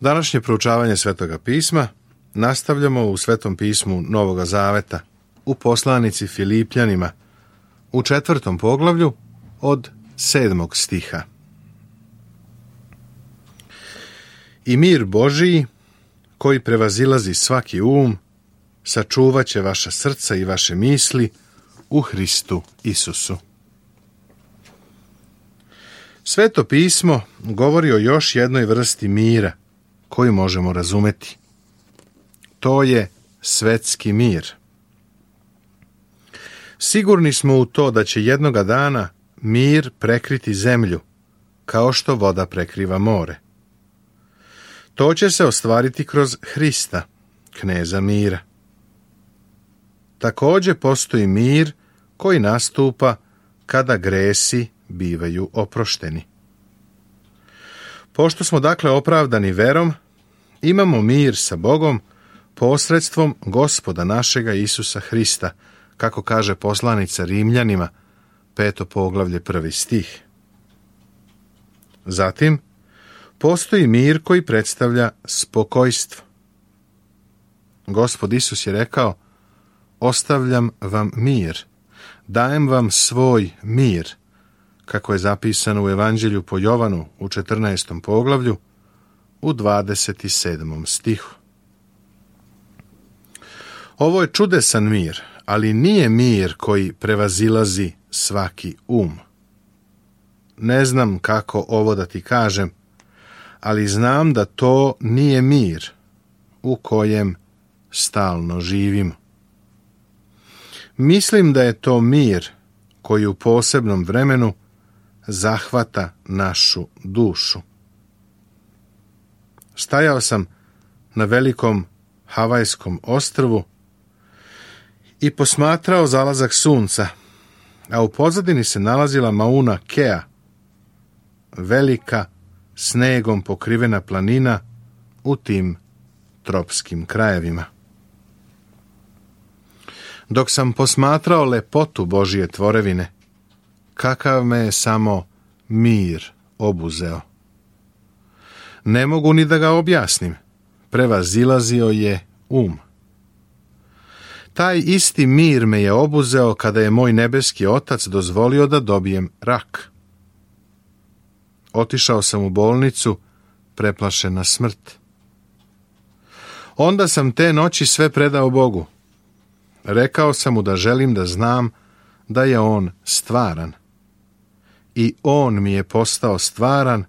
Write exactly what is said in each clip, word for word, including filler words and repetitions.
Današnje proučavanje Svetoga pisma nastavljamo u Svetom pismu Novoga Zaveta, u poslanici Filipljanima, u četvrtom poglavlju od sedmog stiha. I mir Božiji, koji prevazilazi svaki um, sačuvat će vaša srca i vaše misli u Hristu Isusu. Sveto pismo govori o još jednoj vrsti mira koju možemo razumeti. To je svetski mir. Sigurni smo u to da će jednoga dana mir prekriti zemlju, kao što voda prekriva more. To će se ostvariti kroz Hrista, kneza mira. Također postoji mir koji nastupa kada gresi bivaju oprošteni. Pošto smo dakle opravdani verom, imamo mir sa Bogom posredstvom Gospoda našega Isusa Hrista, kako kaže poslanica Rimljanima, peto poglavlje, prvi stih. Zatim, postoji mir koji predstavlja spokojstvo. Gospod Isus je rekao: ostavljam vam mir, dajem vam svoj mir, kako je zapisano u Evanđelju po Jovanu u četrnaestom poglavlju, u dvadeset sedmom stihu. Ovo je čudesan mir, ali nije mir koji prevazilazi svaki um. Ne znam kako ovo da ti kažem, ali znam da to nije mir u kojem stalno živimo. Mislim da je to mir koji u posebnom vremenu zahvata našu dušu. Stajao sam na velikom Havajskom ostrvu i posmatrao zalazak sunca, a u pozadini se nalazila Mauna Kea, velika snegom pokrivena planina u tim tropskim krajevima. Dok sam posmatrao lepotu Božije tvorevine, kakav me je samo mir obuzeo. Ne mogu ni da ga objasnim, prevazilazio je um. Taj isti mir me je obuzeo kada je moj nebeski Otac dozvolio da dobijem rak. Otišao sam u bolnicu, preplašen na smrt. Onda sam te noći sve predao Bogu. Rekao sam mu da želim da znam da je on stvaran. I on mi je postao stvaran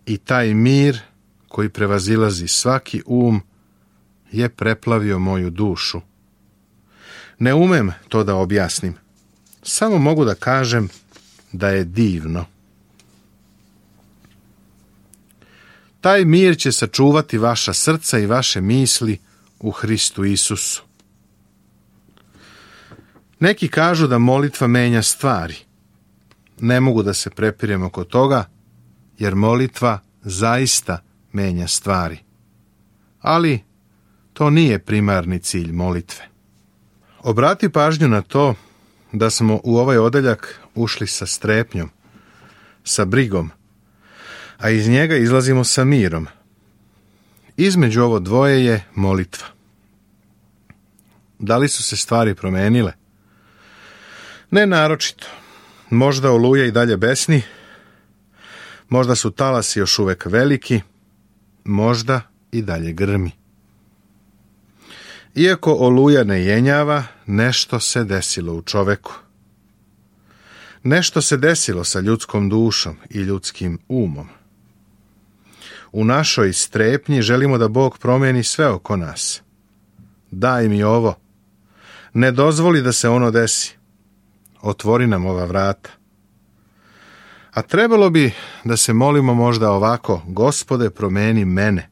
i taj mir koji prevazilazi svaki um je preplavio moju dušu. Ne umem to da objasnim. Samo mogu da kažem da je divno. Taj mir će sačuvati vaša srca i vaše misli u Hristu Isusu. Neki kažu da molitva menja stvari. Ne mogu da se prepirem oko toga, jer molitva zaista menja stvari. Ali to nije primarni cilj molitve. Obrati pažnju na to da smo u ovaj odeljak ušli sa strepnjom, sa brigom, a iz njega izlazimo sa mirom. Između ovo dvoje je molitva. Da li su se stvari promenile? Ne naročito. Možda oluja i dalje besni, možda su talasi još uvek veliki, možda i dalje grmi. Iako oluja ne jenjava, nešto se desilo u čoveku. Nešto se desilo sa ljudskom dušom i ljudskim umom. U našoj strepnji želimo da Bog promijeni sve oko nas. Daj mi ovo. Ne dozvoli da se ono desi. Otvori nam ova vrata. A trebalo bi da se molimo možda ovako: Gospode, promeni mene.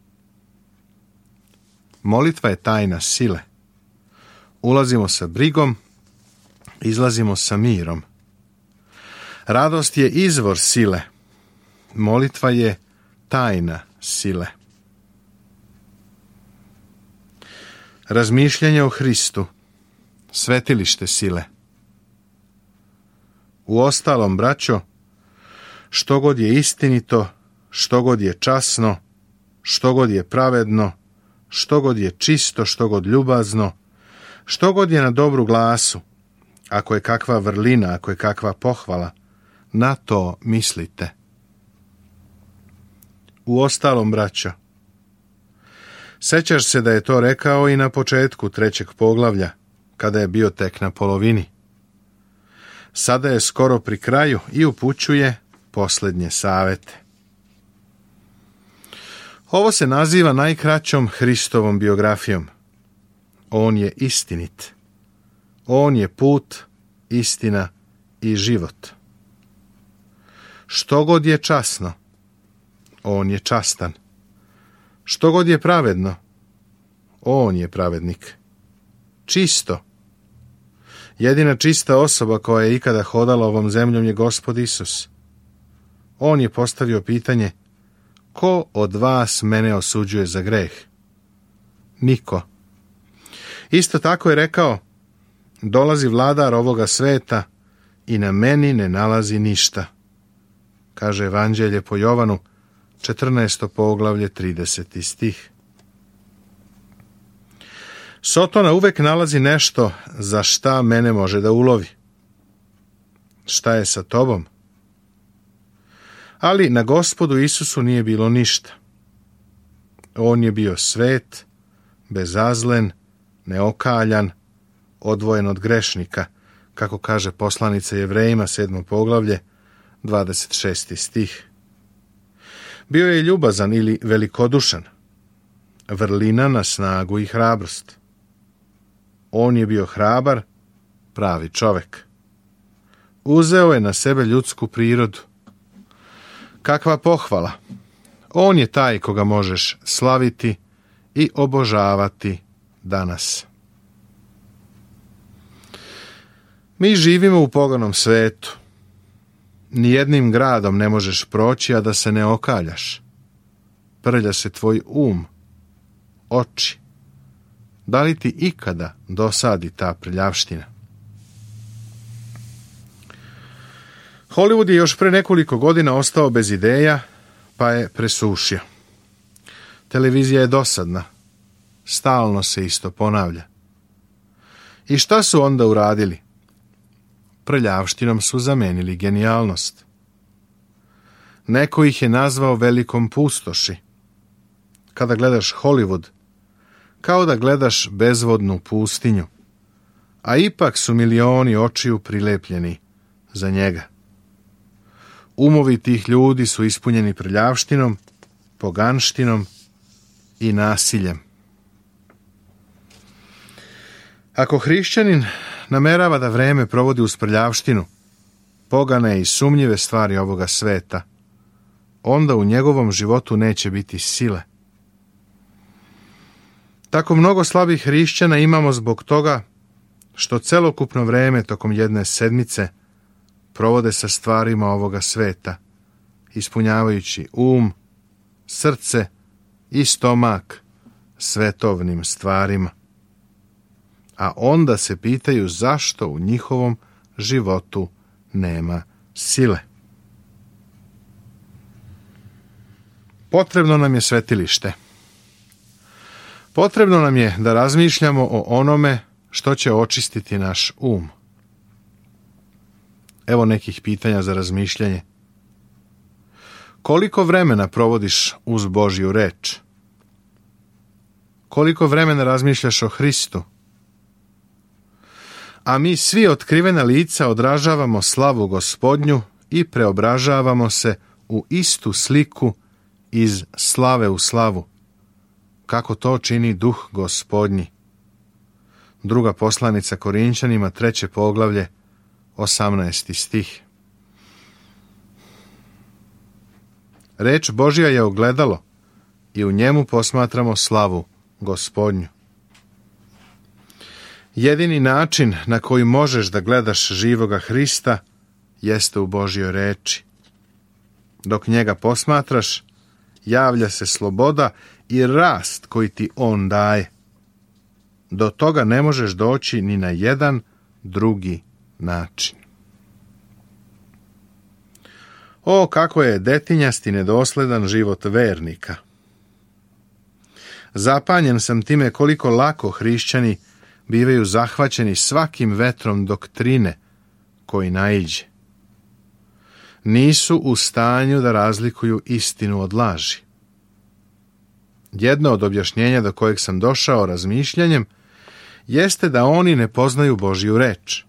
Molitva je tajna sile. Ulazimo sa brigom, izlazimo sa mirom. Radost je izvor sile. Molitva je tajna sile. Razmišljanje o Hristu, svetilište sile. Uostalom, braćo, što god je istinito, što god je časno, što god je pravedno, što god je čisto, što god ljubazno, što god je na dobru glasu, ako je kakva vrlina, ako je kakva pohvala, na to mislite. Uostalom, braćo, sećaš se da je to rekao i na početku trećeg poglavlja, kada je bio tek na polovini. Sada je skoro pri kraju i upućuje posljednje savete. Ovo se naziva najkraćom Hristovom biografijom. On je istinit. On je put, istina i život. Što god je časno, on je častan. Što god je pravedno, on je pravednik. Čisto. Jedina čista osoba koja je ikada hodala ovom zemljom je Gospod Isus. On je postavio pitanje: ko od vas mene osuđuje za greh? Niko. Isto tako je rekao: dolazi vladar ovoga sveta i na meni ne nalazi ništa. Kaže Evanđelje po Jovanu, četrnaesto poglavlje, trideseti stih. Sotona uvek nalazi nešto za šta mene može da ulovi. Šta je sa tobom? Ali na Gospodu Isusu nije bilo ništa. On je bio svet, bezazlen, neokaljan, odvojen od grešnika, kako kaže poslanica Jevrejima, sedmo poglavlje, dvadeset šesti stih. Bio je ljubazan ili velikodušan, vrlina na snagu i hrabrost. On je bio hrabar, pravi čovek. Uzeo je na sebe ljudsku prirodu. Kakva pohvala! On je taj koga možeš slaviti i obožavati danas. Mi živimo u poganom svetu. Nijednim gradom ne možeš proći, a da se ne okaljaš. Prlja se tvoj um, oči. Da li ti ikada dosadi ta prljavština? Hollywood je još pre nekoliko godina ostao bez ideja, pa je presušio. Televizija je dosadna. Stalno se isto ponavlja. I šta su onda uradili? Prljavštinom su zamenili genijalnost. Neko ih je nazvao velikom pustoši. Kada gledaš Hollywood, kao da gledaš bezvodnu pustinju, a ipak su milioni očiju prilepljeni za njega. Umovi tih ljudi su ispunjeni prljavštinom, poganštinom i nasiljem. Ako hrišćanin namerava da vreme provodi uz prljavštinu, pogane i sumnjive stvari ovoga sveta, onda u njegovom životu neće biti sile. Tako mnogo slabih hrišćana imamo zbog toga što celokupno vreme tokom jedne sedmice provode sa stvarima ovoga sveta, ispunjavajući um, srce i stomak svetovnim stvarima. A onda se pitaju zašto u njihovom životu nema sile. Potrebno nam je svetilište. Potrebno nam je da razmišljamo o onome što će očistiti naš um. Evo nekih pitanja za razmišljanje. Koliko vremena provodiš uz Božju reč? Koliko vremena razmišljaš o Hristu? A mi svi otkrivena lica odražavamo slavu Gospodnju i preobražavamo se u istu sliku iz slave u slavu, kako to čini Duh Gospodnji. Druga poslanica Korinćanima, treće poglavlje, osamnaesti stih. Reč Božja je ogledalo i u njemu posmatramo slavu Gospodnju. Jedini način na koji možeš da gledaš živoga Hrista jeste u Božjoj reči. Dok njega posmatraš, javlja se sloboda i rast koji ti on daje. Do toga ne možeš doći ni na jedan drugi način. O, kako je detinjast i nedosledan život vernika. Zapanjen sam time koliko lako hrišćani bivaju zahvaćeni svakim vetrom doktrine koji naiđe. Nisu u stanju da razlikuju istinu od laži. Jedno od objašnjenja do kojeg sam došao razmišljanjem jeste da oni ne poznaju Božju reč.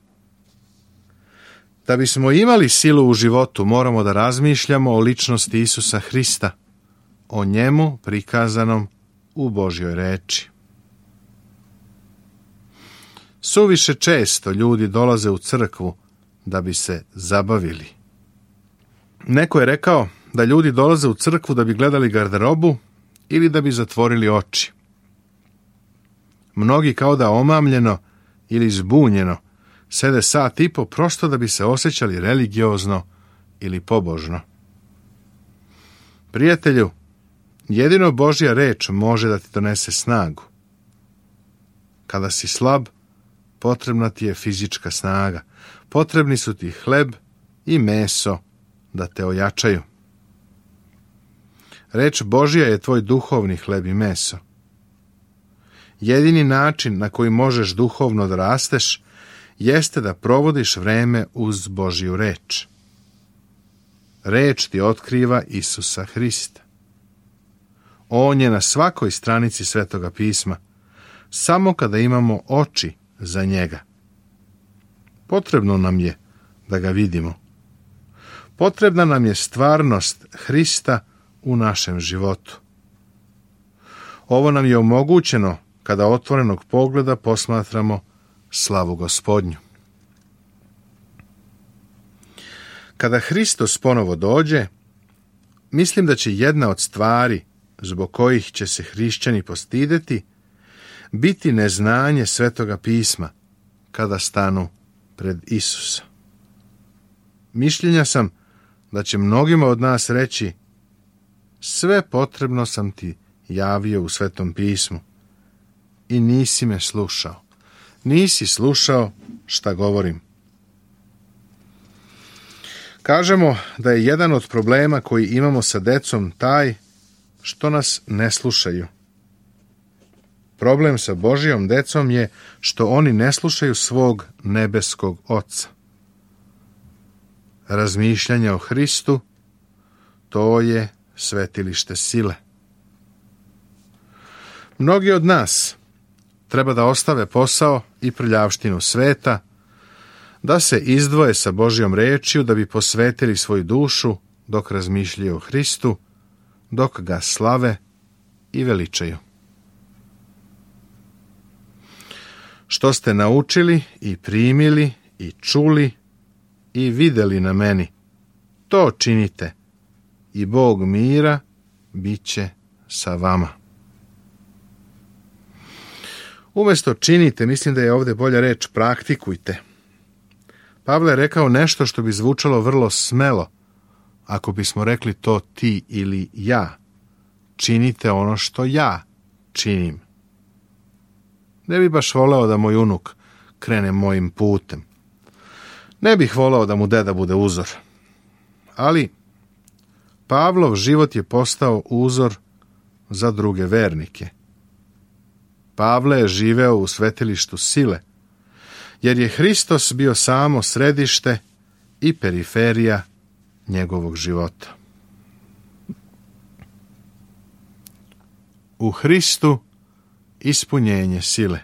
Da bismo imali silu u životu, moramo da razmišljamo o ličnosti Isusa Hrista, o njemu prikazanom u Božjoj reči. Suviše često ljudi dolaze u crkvu da bi se zabavili. Neko je rekao da ljudi dolaze u crkvu da bi gledali garderobu ili da bi zatvorili oči. Mnogi kao da omamljeno ili zbunjeno sede sat i po prosto da bi se osjećali religiozno ili pobožno. Prijatelju, jedino Božja reč može da ti donese snagu. Kada si slab, potrebna ti je fizička snaga. Potrebni su ti hleb i meso da te ojačaju. Reč Božja je tvoj duhovni hleb i meso. Jedini način na koji možeš duhovno da rasteš jeste da provodiš vreme uz Božju reč. Reč ti otkriva Isusa Hrista. On je na svakoj stranici Svetoga pisma, samo kada imamo oči za njega. Potrebno nam je da ga vidimo. Potrebna nam je stvarnost Hrista u našem životu. Ovo nam je omogućeno kada otvorenog pogleda posmatramo slavu Gospodnju. Kada Hristos ponovo dođe, mislim da će jedna od stvari zbog kojih će se hrišćani postideti biti neznanje Svetoga pisma kada stanu pred Isusa. Mišljenja sam da će mnogima od nas reći: sve potrebno sam ti javio u Svetom pismu i nisi me slušao. Nisi slušao šta govorim. Kažemo da je jedan od problema koji imamo sa decom taj što nas ne slušaju. Problem sa Božjom decom je što oni ne slušaju svog nebeskog Oca. Razmišljanje o Hristu, to je svetilište sile. Mnogi od nas treba da ostave posao i prljavštinu sveta, da se izdvoje sa Božjom rečju da bi posvetili svoju dušu dok razmišljaju o Hristu, dok ga slave i veličaju. Što ste naučili i primili i čuli i videli na meni, to činite i Bog mira bit će sa vama. Umjesto činite, mislim da je ovdje bolja reč praktikujte. Pavle je rekao nešto što bi zvučalo vrlo smelo, ako bismo rekli to ti ili ja. Činite ono što ja činim. Ne bi baš voleo da moj unuk krene mojim putem. Ne bih voleo da mu deda bude uzor. Ali Pavlov život je postao uzor za druge vernike. Pavle je živeo u svetilištu sile, jer je Hristos bio samo središte i periferija njegovog života. U Hristu ispunjenje sile.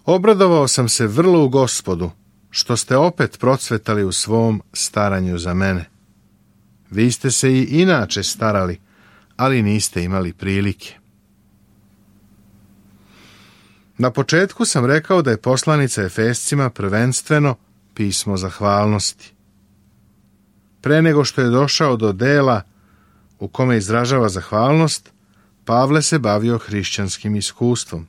Obradovao sam se vrlo u Gospodu, što ste opet procvetali u svom staranju za mene. Vi ste se i inače starali, ali niste imali prilike. Na početku sam rekao da je poslanica Efescima prvenstveno pismo zahvalnosti. Pre nego što je došao do dela u kome izražava zahvalnost, Pavle se bavio hrišćanskim iskustvom.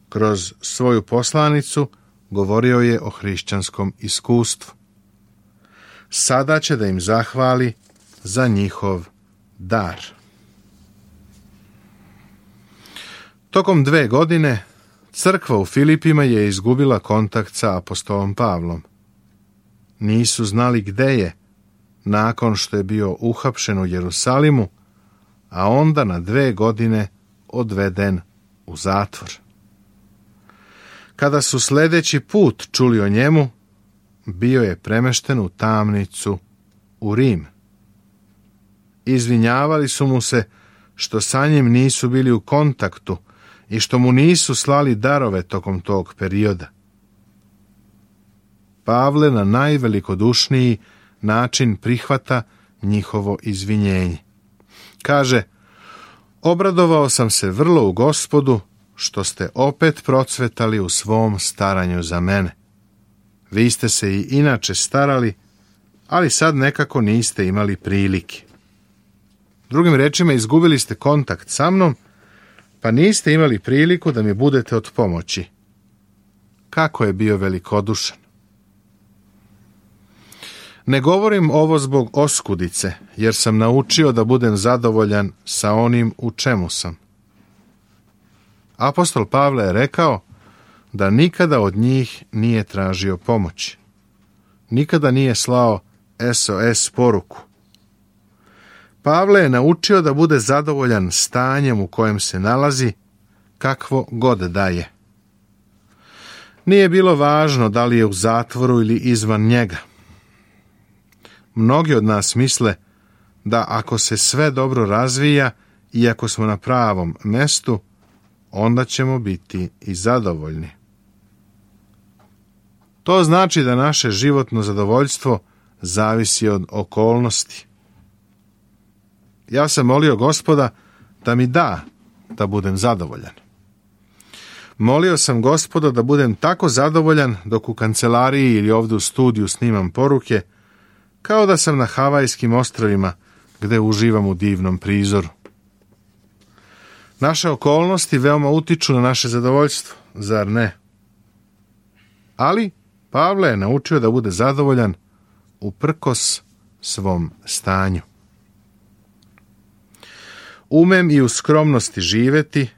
Kroz svoju poslanicu govorio je o hrišćanskom iskustvu. Sada će da im zahvali za njihov dar. Tokom dve godine crkva u Filipima je izgubila kontakt sa apostolom Pavlom. Nisu znali gde je, nakon što je bio uhapšen u Jerusalimu, a onda na dve godine odveden u zatvor. Kada su sljedeći put čuli o njemu, bio je premešten u tamnicu u Rim. Izvinjavali su mu se što sa njim nisu bili u kontaktu i što mu nisu slali darove tokom tog perioda. Pavle na najvelikodušniji način prihvata njihovo izvinjenje. Kaže, obradovao sam se vrlo u Gospodu što ste opet procvetali u svom staranju za mene. Vi ste se i inače starali, ali sad nekako niste imali prilike. Drugim rečima, izgubili ste kontakt sa mnom, pa niste imali priliku da mi budete od pomoći. Kako je bio velikodušan. Ne govorim ovo zbog oskudice, jer sam naučio da budem zadovoljan sa onim u čemu sam. Apostol Pavle je rekao da nikada od njih nije tražio pomoć. Nikada nije slao S O S poruku. Pavle je naučio da bude zadovoljan stanjem u kojem se nalazi, kakvo god da je. Nije bilo važno da li je u zatvoru ili izvan njega. Mnogi od nas misle da ako se sve dobro razvija i ako smo na pravom mestu, onda ćemo biti i zadovoljni. To znači da naše životno zadovoljstvo zavisi od okolnosti. Ja sam molio Gospoda da mi da da budem zadovoljan. Molio sam Gospoda da budem tako zadovoljan dok u kancelariji ili ovdje u studiju snimam poruke, kao da sam na Havajskim ostrvima gde uživam u divnom prizoru. Naše okolnosti veoma utiču na naše zadovoljstvo, zar ne? Ali Pavle je naučio da bude zadovoljan uprkos svom stanju. Umem i u skromnosti živeti,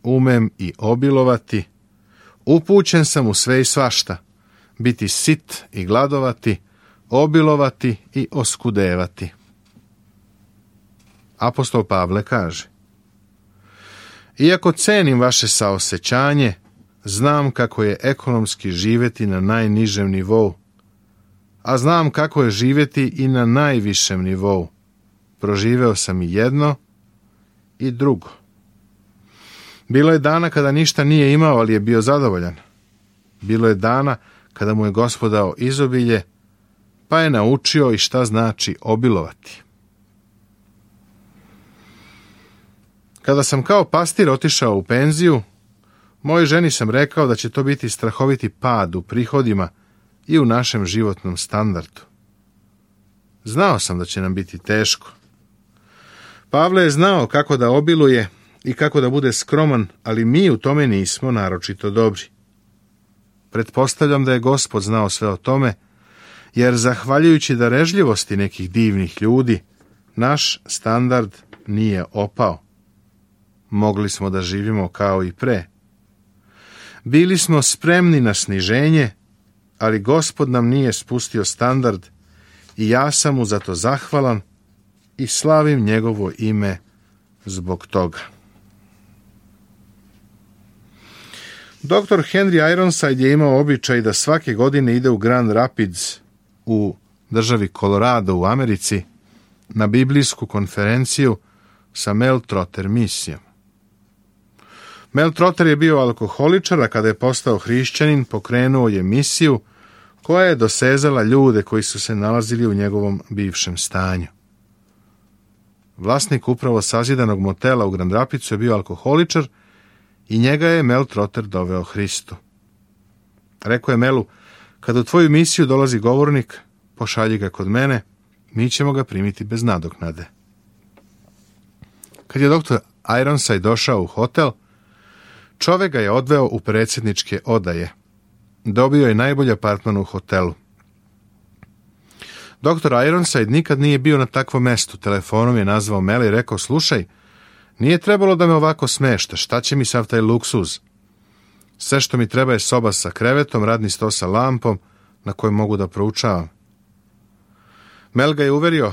umem i obilovati, upućen sam u sve i svašta, biti sit i gladovati, obilovati i oskudevati. Apostol Pavle kaže, iako cenim vaše saosećanje, znam kako je ekonomski živeti na najnižem nivou, a znam kako je živeti i na najvišem nivou. Proživeo sam i jedno i drugo. Bilo je dana kada ništa nije imao, ali je bio zadovoljan. Bilo je dana kada mu je Gospod dao izobilje, pa je naučio i šta znači obilovati. Kada sam kao pastir otišao u penziju, mojoj ženi sam rekao da će to biti strahoviti pad u prihodima i u našem životnom standardu. Znao sam da će nam biti teško. Pavle je znao kako da obiluje i kako da bude skroman, ali mi u tome nismo naročito dobri. Pretpostavljam da je Gospod znao sve o tome, jer zahvaljujući darežljivosti nekih divnih ljudi, naš standard nije opao. Mogli smo da živimo kao i pre. Bili smo spremni na sniženje, ali Gospod nam nije spustio standard i ja sam mu za to zahvalan i slavim njegovo ime zbog toga. doktor Henry Ironside je imao običaj da svake godine ide u Grand Rapids u državi Colorado u Americi na biblijsku konferenciju sa Mel Trotter misijom. Mel Trotter je bio alkoholičar, a kada je postao hrišćanin, pokrenuo je misiju koja je dosezala ljude koji su se nalazili u njegovom bivšem stanju. Vlasnik upravo sazidanog motela u Grand Rapidsu je bio alkoholičar i njega je Mel Trotter doveo Hristu. Rekao je Melu, kada u tvoju misiju dolazi govornik, pošalji ga kod mene, mi ćemo ga primiti bez nadoknade. Kad je doktor Ironside došao u hotel, čovek ga je odveo u predsjedničke odaje. Dobio je najbolji apartman u hotelu. doktor Ironside nikad nije bio na takvom mestu. Telefonom je nazvao Mela i rekao, slušaj, nije trebalo da me ovako smeštaš, šta će mi sav taj luksuz? Sve što mi treba je soba sa krevetom, radni sto sa lampom na kojem mogu da proučavam. Mel ga je uverio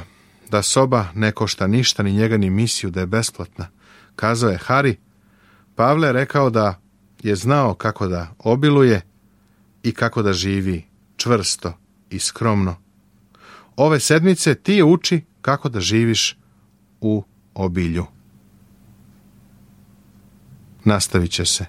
da soba ne košta ništa, ni njega ni misiju, da je besplatna. Kazao je Hari. Pavle je rekao da je znao kako da obiluje i kako da živi čvrsto i skromno. Ove sedmice ti je uči kako da živiš u obilju. Nastavit će se.